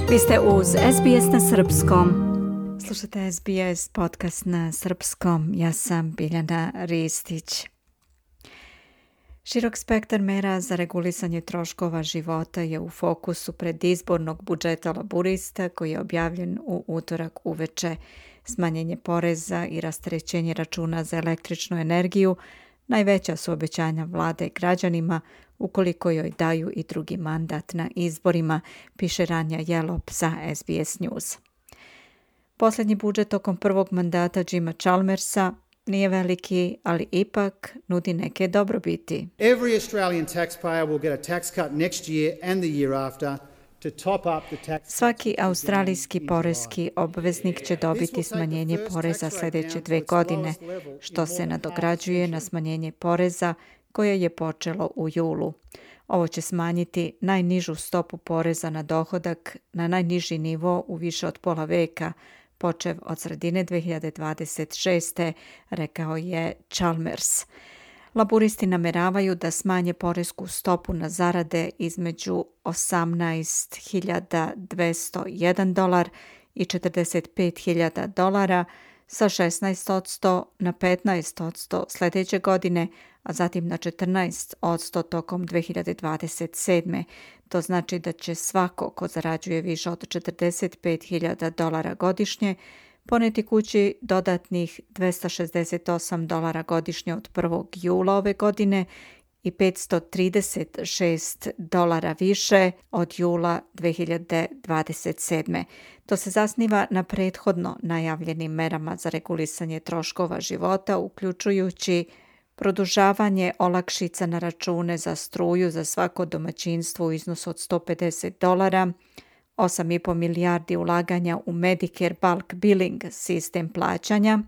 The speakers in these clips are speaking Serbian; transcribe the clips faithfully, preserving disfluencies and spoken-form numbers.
Vi ste uz S B S na srpskom. Slušate S B S podcast na srpskom. Ja sam Biljana Ristić. Širok spektar mera za regulisanje troškova života je u fokusu predizbornog budžeta laburista koji je objavljen u utorak uveče. Smanjenje poreza i rasterećenje računa za električnu energiju najveća su obećanja vlade građanima ukoliko joj daju i drugi mandat na izborima, piše Ranja Jelop za S B S News. Posljednji budžet tokom prvog mandata Jima Chalmersa nije veliki, ali ipak nudi neke dobrobiti. Every Australian taxpayer will get a tax cut next year and the year after. Svaki australijski poreski obveznik će dobiti smanjenje poreza sljedeće dve godine, što se nadograđuje na smanjenje poreza koje je počelo u julu. Ovo će smanjiti najnižu stopu poreza na dohodak na najniži nivo u više od pola veka, počev od sredine dve hiljade dvadeset šeste, rekao je Chalmers. Laburisti nameravaju da smanje poresku stopu na zarade između osamnaest hiljada dvesta jedan dolar i četrdeset pet hiljada dolara sa šesnaest posto na petnaest posto sljedeće godine, a zatim na četrnaest posto tokom dve hiljade dvadeset sedme. To znači da će svako ko zarađuje više od četrdeset pet hiljada dolara godišnje poneti kući dodatnih dvesta šezdeset osam dolara godišnje od prvog jula ove godine i petsto trideset šest dolara više od jula dve hiljade dvadeset sedme. To se zasniva na prethodno najavljenim merama za regulisanje troškova života, uključujući produžavanje olakšica na račune za struju za svako domaćinstvo u iznosu od sto pedeset dolara, osam i pol milijardi ulaganja u Medicare bulk billing sistem plaćanja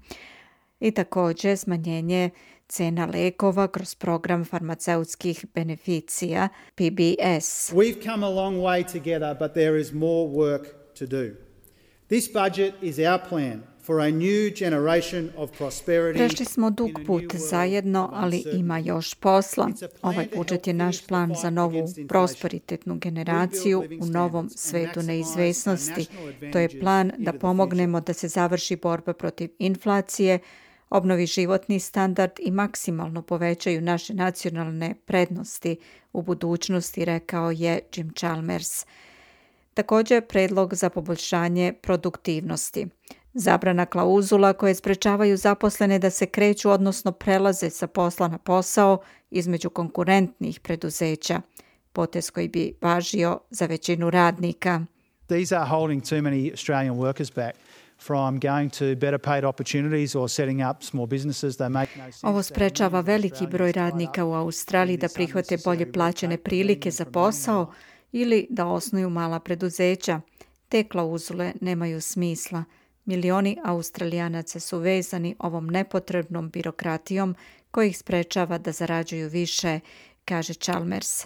i također smanjenje cena lekova kroz program farmaceutskih beneficija P B S. We've come a long way together, but there is more work to do. This budget is our plan for a new generation of prosperity. Prešli smo dug put zajedno, ali ima još posla. Ovaj budžet je naš plan za novu prosperitetnu generaciju u novom svetu neizvesnosti. To je plan da pomognemo da se završi borba protiv inflacije, obnovi životni standard i maksimalno povećaju naše nacionalne prednosti u budućnosti, rekao je Jim Chalmers. Također predlog za poboljšanje produktivnosti. Zabrana klauzula koje sprečavaju zaposlene da se kreću, odnosno prelaze sa posla na posao između konkurentnih preduzeća, potez koji bi važio za većinu radnika. These are holding too many Australian workers back from going to better paid opportunities or setting up small businesses. They make no sense. Ovo sprečava veliki broj radnika u Australiji da prihvate bolje plaćene prilike za posao ili da osnuju mala preduzeća. Te klauzule nemaju smisla. Milioni Australijanaca su vezani ovom nepotrebnom birokratijom koja ih sprečava da zarađuju više, kaže Chalmers.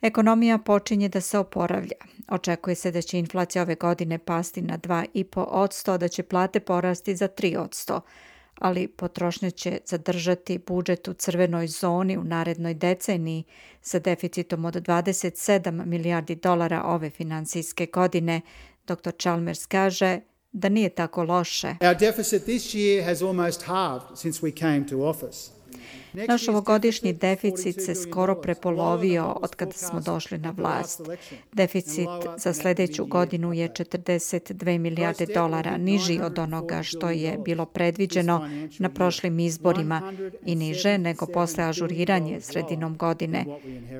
Ekonomija počinje da se oporavlja. Očekuje se da će inflacija ove godine pasti na dva i pol posto, a da će plate porasti za tri posto. Ali potrošnja će zadržati budžet u crvenoj zoni u narednoj deceniji sa deficitom od dvadeset sedam milijardi dolara ove finansijske godine. doktor Chalmers kaže da nije tako loše. Our deficit this year has almost halved since we came to office. Naš ovogodišnji deficit se skoro prepolovio od kada smo došli na vlast. Deficit za sljedeću godinu je četrdeset dve milijarde dolara, niži od onoga što je bilo predviđeno na prošlim izborima i niže nego posle ažuriranje sredinom godine.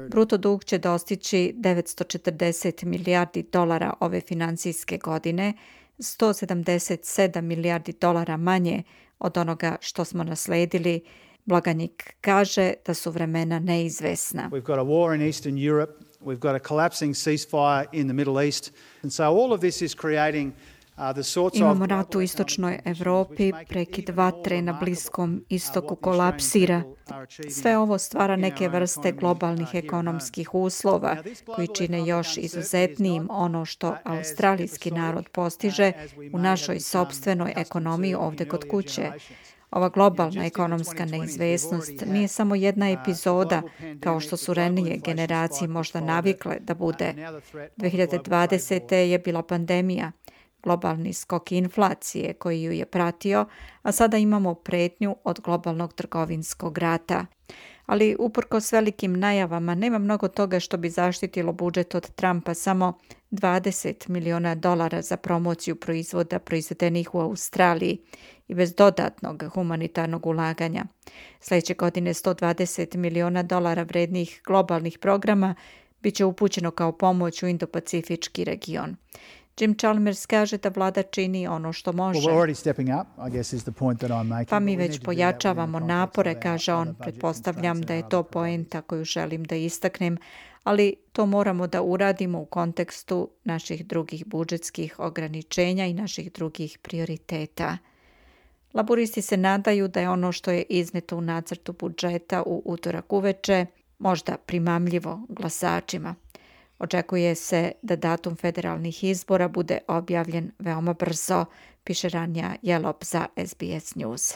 Bruto dug će dostići devetsto četrdeset milijardi dolara ove finansijske godine, sto sedamdeset sedam milijardi dolara manje od onoga što smo nasledili. Blagajnik kaže da su vremena neizvesna. We've got a war in Eastern Europe, we've got a collapsing ceasefire in the Middle East, and so all of this is creating Imamo rat u istočnoj Evropi, prekid vatre na Bliskom istoku kolapsira. Sve ovo stvara neke vrste globalnih ekonomskih uslova koji čine još izuzetnijim ono što australijski narod postiže u našoj sopstvenoj ekonomiji ovdje kod kuće. Ova globalna ekonomska neizvesnost nije samo jedna epizoda, kao što su ranije generacije možda navikle da bude. dve hiljade dvadesete. je bila pandemija, globalni skok inflacije koji ju je pratio, a sada imamo pretnju od globalnog trgovinskog rata. Ali uprkos velikim najavama nema mnogo toga što bi zaštitilo budžet od Trumpa, samo dvadeset miliona dolara za promociju proizvoda proizvedenih u Australiji i bez dodatnog humanitarnog ulaganja. Sljedeće godine sto dvadeset miliona dolara vrednih globalnih programa bit će upućeno kao pomoć u Indo-Pacifički region. Jim Chalmers kaže da vlada čini ono što može. Pa mi već pojačavamo napore, kaže on. Pretpostavljam da je to poenta koju želim da istaknem, ali to moramo da uradimo u kontekstu naših drugih budžetskih ograničenja i naših drugih prioriteta. Laburisti se nadaju da je ono što je izneto u nacrtu budžeta u utorak uveče možda primamljivo glasačima. Očekuje se da datum federalnih izbora bude objavljen veoma brzo, piše Ranja Jelop za S B S News.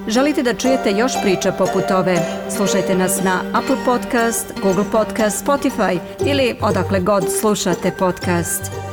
Želite da čujete još priča poput ove? Slušajte nas na Apple Podcast, Google Podcast, Spotify ili odakle god slušate podcast.